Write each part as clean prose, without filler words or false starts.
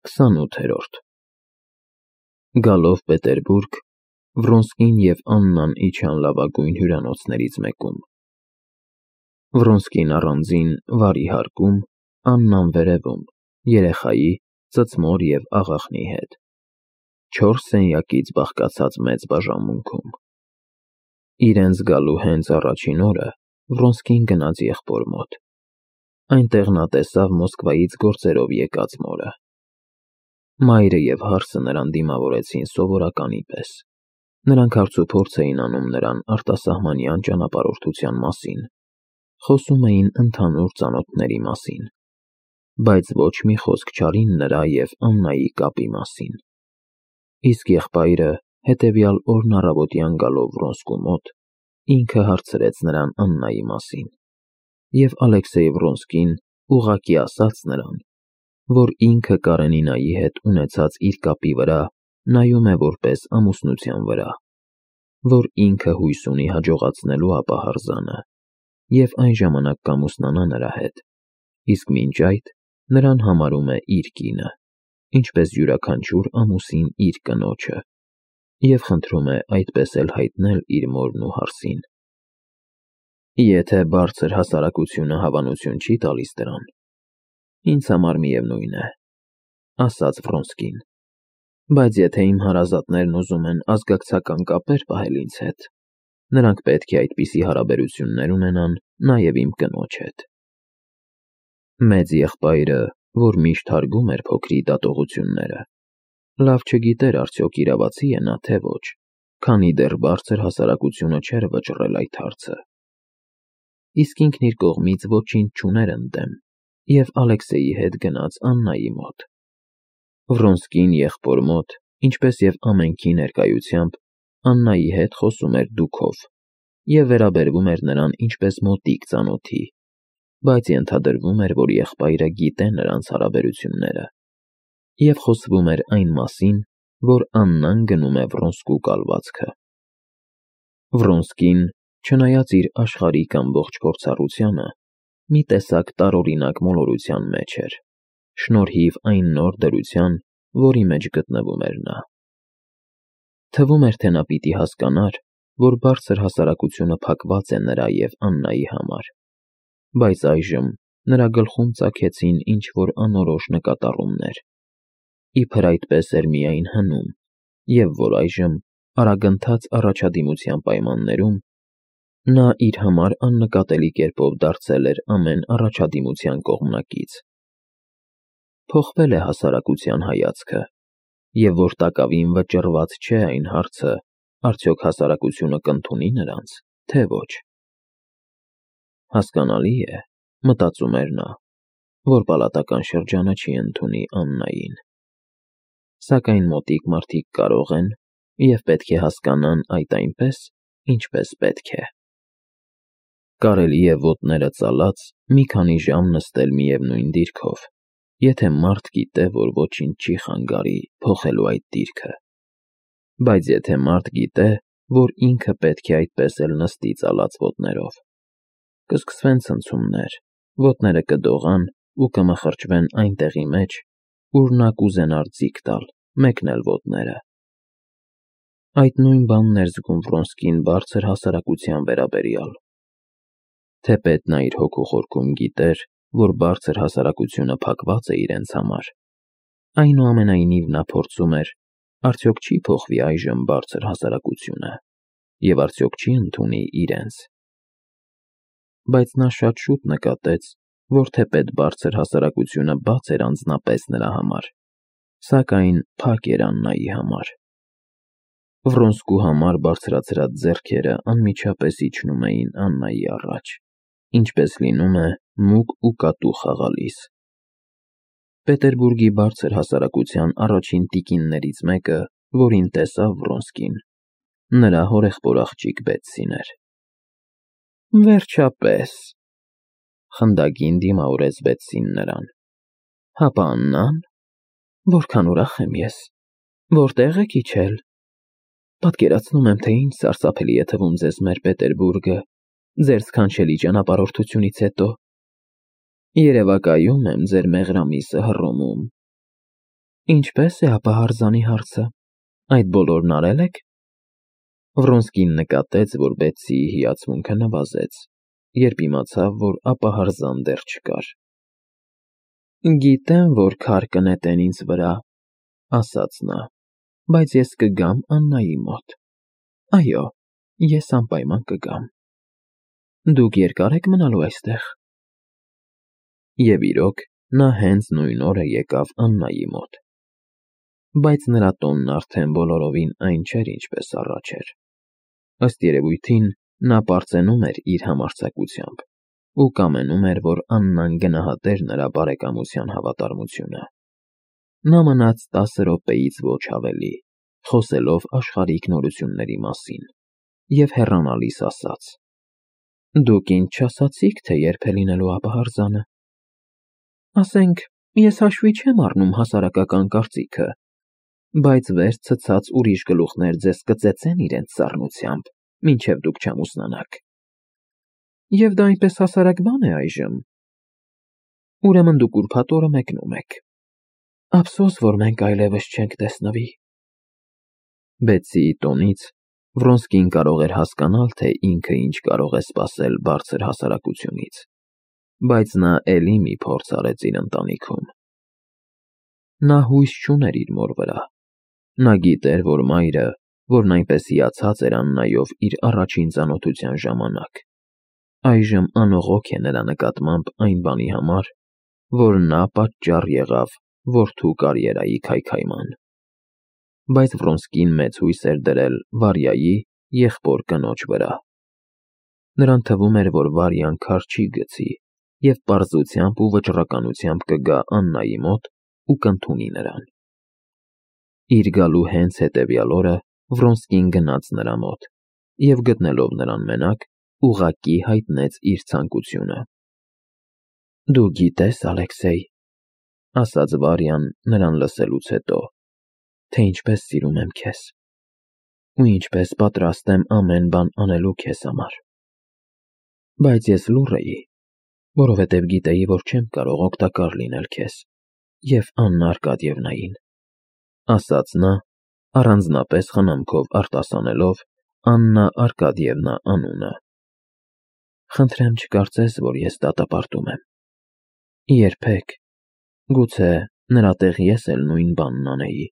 28-րդ Գալով Պետերբուրգ, Վրոնսկին և Աննան իջան լավագույն հյուրանոցներից մեկում։ Վրոնսկին առանձին վարի հարկում, Աննան վերևում, երեխայի, ծծմոր և աղախնի հետ, 4 սենյակից բաղկացած մեծ բաժանմունքում։ Իրենց գալու հենց առաջին օրը Վրոնսկին գնաց եղբոր մոտ։ Այնտեղ նա տեսավ Մոսկվայից գործերով եկած մորը։ Մայրը և հարսը նրան դիմավորեցին սովորականի պես։ Նրանք հարցուփորձ էին անում նրան արտասահմանյան ճանապարհորդության մասին, խոսում էին ընդհանուր ծանոթների մասին, բայց ոչ մի խոսք չարին նրա և Աննայի կապի մասին։ Իսկ եղբայրը հետևյալ օրն առավոտյան գալով Վրոնսկու մոտ, ինքը հարցրեց նրան Աննայի մասին, և Ալեքսեյ Վրոնսկին ուղղակի ասաց նրան, որ ինքը Կարենինայի հետ ունեցած իր կապի վրա նայում է որպես ամուսնության վրա, որ ինքը հույս ունի հաջողացնելու ապահարզանը և այն ժամանակ կամուսնանա նրա հետ, իսկ մինչ այդ նրան համարում է իր կինը, ինչպես յուրաքանչյուր ամուսին իր կնոջը, և խնդրում է այդպես էլ հայտնել իր մորն ու հարսին։ Եթե բարձր հասարակությունը հավանություն չի տալիս դրան, ինձ համար միևնույն է, ասաց Վրոնսկին, բայց եթե իմ հարազատներն ուզում են ազգակցական կապեր պահել ինձ հետ, նրանք պետք է այդպիսի հարաբերություններ ունենան նաև իմ կնոջ հետ։ Մեծ եղբայրը, որ միշտ հարգում էր փոքրի դատողությունները, լավ չգիտեր արդյոք իրավացի է նա թե ոչ, քանի դեռ բարձր հասարակությունը չէր վճռել այդ հարցը։ Իսկ ինքն իր կողմից ոչինչ չուներ ընդդեմ և Ալեքսեյի հետ գնաց Աննայի մոտ։ Վրոնսկին եղբոր մոտ, ինչպես և ամենքի ներկայությամբ, Աննայի հետ խոսում էր դուքով և վերաբերվում էր նրան ինչպես մոտիկ ծանոթի, բայց ենթադրվում էր, որ եղբայրը գիտե նրանց հարաբերությունները, և խոսվում էր այն մասին, որ Աննան գնում է Վրոնսկու կալվածքը։ Վրոնսկին, չնայած իր աշխարհիկ ամբողջ փորձառությանը, մի տեսակ տարօրինակ մոլորության մեջ էր, շնորհիվ այն նոր դրության, որի մեջ գտնվում էր նա։ Թվում էր, թե նա պիտի հասկանար, որ բարձր հասարակությունը փակված է նրա և Աննայի համար, բայց այժմ նրա գլխում ծագեցին ինչ-որ անորոշ նկատառումներ, իբր այդպես էր միայն հնում, և որ այժմ, արագընթաց առաջադիմության պայմաններում, նա իր համար աննկատելի կերպով դարձել էր ամեն առաջադիմության կողմնակից։ Փոխվել է հասարակության հայացքը, և որ տակավին վճռված չէ այն հարցը, արդյոք հասարակությունը կընդունի նրանց, թե ոչ։ Հասկանալի է, մտածում էր նա, որ պալատական շրջանը չի ընդունի Աննային։ Սակայն մոտիկ մարդիկ կարող են և պետք է հասկանան այդ այնպես, ինչպես պետք է։ Կարելի է ոտները ծալած մի քանի ժամ նստել միևնույն դիրքով, եթե մարդ գիտե, որ ոչինչ չի խանգարի փոխելու այդ դիրքը, բայց եթե մարդ գիտե, որ ինքը պետք է այդպես էլ նստի ծալած ոտներով, կսկսվեն ցնցումներ, ոտները կդողան ու կմխրճվեն այն տեղի մեջ, ուր նա կուզենար ձիգ տալ, մեկնել ոտները։ Այդ նույն բանն էր զգում Վրոնսկին բարձր հասարակության վերաբերյալ։ Թեպետ նա իր հոգու խորքում գիտեր, որ բարձր հասարակությունը փակված է իրենց համար, այնուամենայնիվ նա փորձում էր, արդյոք չի փոխվի այժմ բարձր հասարակությունը, և արդյոք չի ընդունի իրենց։ Բայց նա շատ շուտ նկատեց, որ թեպետ բարձր հասարակությունը բաց էր անձնապես նրա համար, սակայն փակ էր Աննայի համար։ Վրոնսկու համար բարձրացրած ձեռքերը անմիջապես իջնում էին Աննայի առաջ, ինչպես լինում է մուգ ու կատու խաղալիս։ Պետերբուրգի բարձր հասարակության առաջին տիկիններից մեկը, որին տեսավ Վրոնսկին, նրա հորեղբոր աղջիկ Բետսին էր։ Վերջապես, խնդագին դիմավորեց Բետսին նրան։ Հապա Աննա՞ն, որքան ուրախ եմ ես, որտե՞ղ եք իջել։ Պատկերացնում եմ, թե ինչ սարսափելի է թվում ձեզ մեր Պետերբուրգը, ձեր սքանչելի ճանապարհորդությունից հետո։ Երևակայում եմ ձեր մեղրամիսը Հռոմում։ Ինչպես է ապա հարձանի հարցը, այդ բոլորն արել եք։ Վրոնսկին նկատեց, որ Բեթսիի հիացմունքը նվազեց, երբ իմացավ, որ ապահարզան դեռ չկար։ Գիտեմ, որ քար կնետեն ինձ վրա, ասաց նա, բայց ես կգամ Աննայի մոտ։ Այո, ես անպայման կգամ։ Դուք երկար եք մնալու այստեղ։ Եվ իրոք, նա հենց նույն օրը եկավ Աննայի մոտ։ Բայց նրա տոնն արդեն բոլորովին այն չէր, ինչպես առաջ էր։ Ըստ երևույթին, նա պարծենում էր իր համարձակությամբ ու կամենում էր, որ Աննան գնահատեր նրա բարեկամության հավատարմությունը։ Նա մնաց 10 րոպեից ոչ ավելի, խոսելով աշխարհիկ նորությունների մասին, և հեռանալիս ասաց. Դուք ինձ չասացիք, թե երբ է լինելու ապահարզանը։ Ասենք, ես հաշվի չեմ առնում հասարակական կարծիքը, բայց վեր ցցած ուրիշ գլուխներ ձեզ կծեծեն իրենց սառնությամբ, մինչև դուք չամուսնանաք։ Եվ դա այնպես հասարակ բան է այժմ։ Ուրեմն դուք ուրբաթ օրը մեկնում եք։ Ափսոս, որ մենք այլևս չենք տեսնվի։ Բեթսիի տոնից Վրոնսկին կարող էր հասկանալ, թե ինքը ինչ կարող է սպասել բարձր հասարակությունից, բայց նա էլի մի փորձ արեց իր ընտանիքում։ Նա հույս չուներ իր մոր վրա։ Նա գիտեր, որ մայրը, որն այնպես հիացած էր Աննայով իր առաջին ծանոթության ժամանակ, այժմ անողոք է նրա նկատմամբ այն բանի համար, որ նա պատճառ եղավ որդու կարիերայի քայքայման։ Բայց Վրոնսկին մեծ հույս էր դրել Վարյայի եղբոր կնոջ վրա։ Նրան թվում էր, որ Վարյան քար չի գցի և պարզությամբ ու վճռականությամբ կգա Աննայի մոտ ու կընդունի նրան։ Իր գալու հենց հետևյալ օրը Վրոնսկին գնաց նրա մոտ և գտնելով նրան մենակ, ուղղակի հայտնեց իր ցանկությունը։ Դու գիտես, Ալեքսեյ, ասաց Վարյան նրան լսելուց հետո, թե ինչպես սիրում եմ քեզ, ու ինչպես պատրաստ եմ ամեն բան անելու քեզ համար։ Բայց ես լուռ էի, որովհետև գիտեի, որ չեմ կարող օգտակար լինել քեզ և Աննա Արկադիևնային, ասաց նա, առանձնապես խնամքով արտասանելով Աննա Արկադիևնա անունը։ Խնդրեմ չկարծես, որ ես դատապարտում եմ։ Երբեք, գուցե նրա տեղ ես էլ նույն բանն անեի։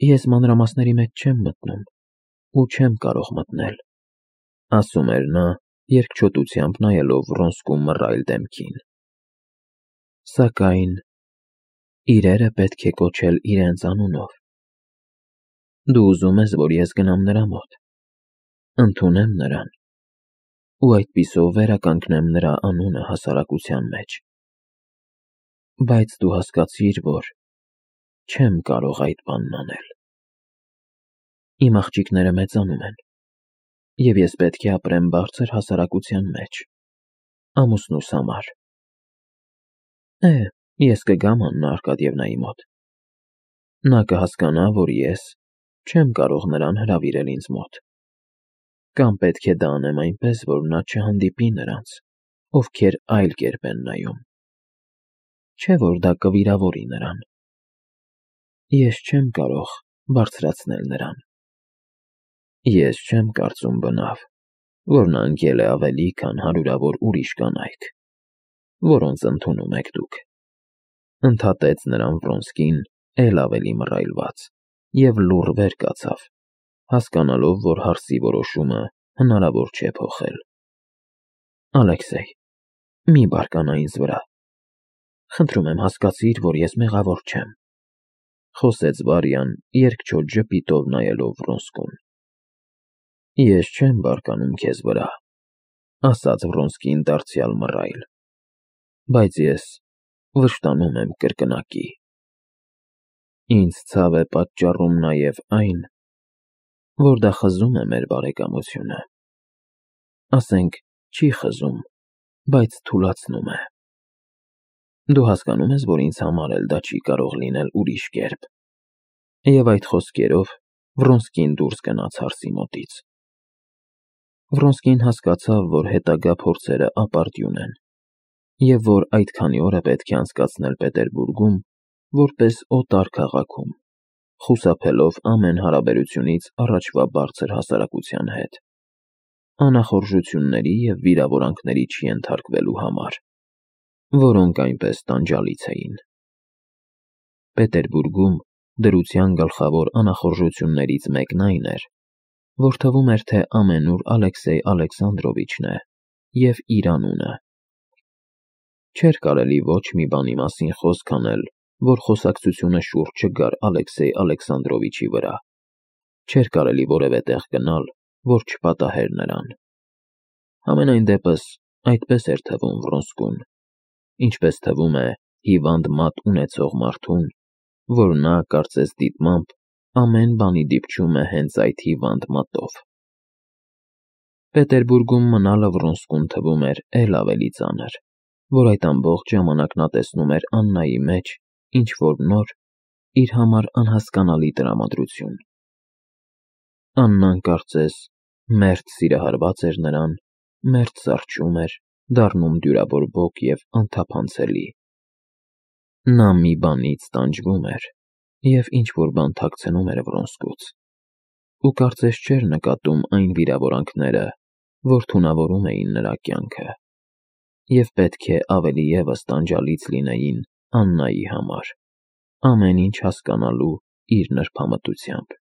Ես մանրամասների մեջ չեմ մտնում ու չեմ կարող մտնել, ասում էր նա, երկչոտությամբ նայելով Վրոնսկու մռայլ դեմքին։ Սակայն իրերը պետք է կոչել իրենց անունով։ Դու ուզում ես, որ ես գնամ նրա մոտ, ընդունեմ նրան ու այդպիսով վերականգնեմ նրա անունը հասարակության մեջ։ Բայց դու հասկացիր, որ չեմ կարող այդ բանն անել։ Իմ աղջիկները մեծանում են, և ես պետք է ապրեմ բարձր հասարակության մեջ, ամուսնուս համար։ Ես կգամ Աննա Արկադիևնայի մոտ։ Նա կհասկանա, որ ես չեմ կարող նրան հրավիրել ինձ մոտ։ Կամ պետք է դա անեմ այնպես, որ նա չհանդիպի նրանց, ովքեր այլ կերպ են նայում։ Չէ՞ որ դա կվիրավորի նրան։ Ես չեմ կարող բարձրացնել նրան։ Ես չեմ կարծում բնավ, որ նա ընկել է ավելի, քան հարյուրավոր ուրիշ կանայք, որոնց ընդունում եք դուք։ Ընդհատեց նրան Վրոնսկին էլ ավելի մռայլված և լուռ վեր կացավ, հասկանալով, որ հարցի որոշումը հնարավոր չէ փոխել։ Ալեքսեյ, մի բարկանա ինձ վրա։ Խնդրում եմ հասկացիր, որ ես մեղավոր չեմ, խոսեց Վարյան երկչոտ ժպիտով նայելով Վրոնսկուն։ Ես չեմ բարկանում քեզ վրա, ասաց Վրոնսկին դարձյալ մռայլ, բայց ես վշտանում եմ կրկնակի։ Ինձ ցավ է պատճառում նաև այն, որ դա խզում է մեր բարեկամությունը։ Ասենք, չի խզում, բայց թուլացնում է։ Դու հասկանում ես, որ ինձ համար էլ դա չի կարող լինել ուրիշ կերպ։ Եվ այդ խոսքերով Վրոնսկին դուրս գնաց հարսի մոտից։ Վրոնսկին հասկացավ, որ հետագա փորձերը ապարդյուն են, և որ այդ քանի օրը պետք է անցկացնել Պետերբուրգում, որպես օտար քաղաքում, խուսափելով ամեն հարաբերությունից առաջվա բարձր հասարակության հետ, անախորժությունների և վիրավորանքների չենթարկվելու համար, որոնք այնպես տանջալից էին։ Պետերբուրգում դրության գլխավոր անախորժություններից մեկն այն էր, որ թվում էր, թե ամենուր Ալեքսեյ Ալեքսանդրովիչն է և իր անունը։ Չէր կարելի ոչ մի բանի մասին խոսք անել, որ խոսակցությունը շուրջ չգար Ալեքսեյ Ալեքսանդրովիչի վրա։ Չէր կարելի որևէ տեղ գնալ, որ չպատահեր նրան։ Համենայն դեպս, այդպես էր թվում Վրոնսկուն, ինչպես թվում է հիվանդ մատ ունեցող մարդուն, որ նա, կարծես դիտմամբ, ամեն բանի դիպչում է հենց այդ հիվանդ մատով։ Պետերբուրգում մնալը Վրոնսկուն թվում էր էլ ավելի ծանր, որ այդ ամբողջ ժամանակ նա տեսնում էր Աննայի մեջ ինչ-որ նոր, իր համար անհասկանալի տրամադրություն։ Աննան, կարծես, մերթ սիրահարված էր նրան, մերթ զարչում էր, դառնում դյուրաբորբոք և անթափանցելի։ Նա մի բանից տանջվում էր և ինչ-որ բան թաքցնում էր Վրոնսկուց, ու կարծես չէր նկատում այն վիրավորանքները, որ թունավորում էին նրա կյանքը, և պետք է ավելի ևս տանջալից լինեին Աննայի համար, ամեն ինչ հասկանալու իր նրբամտությամբ։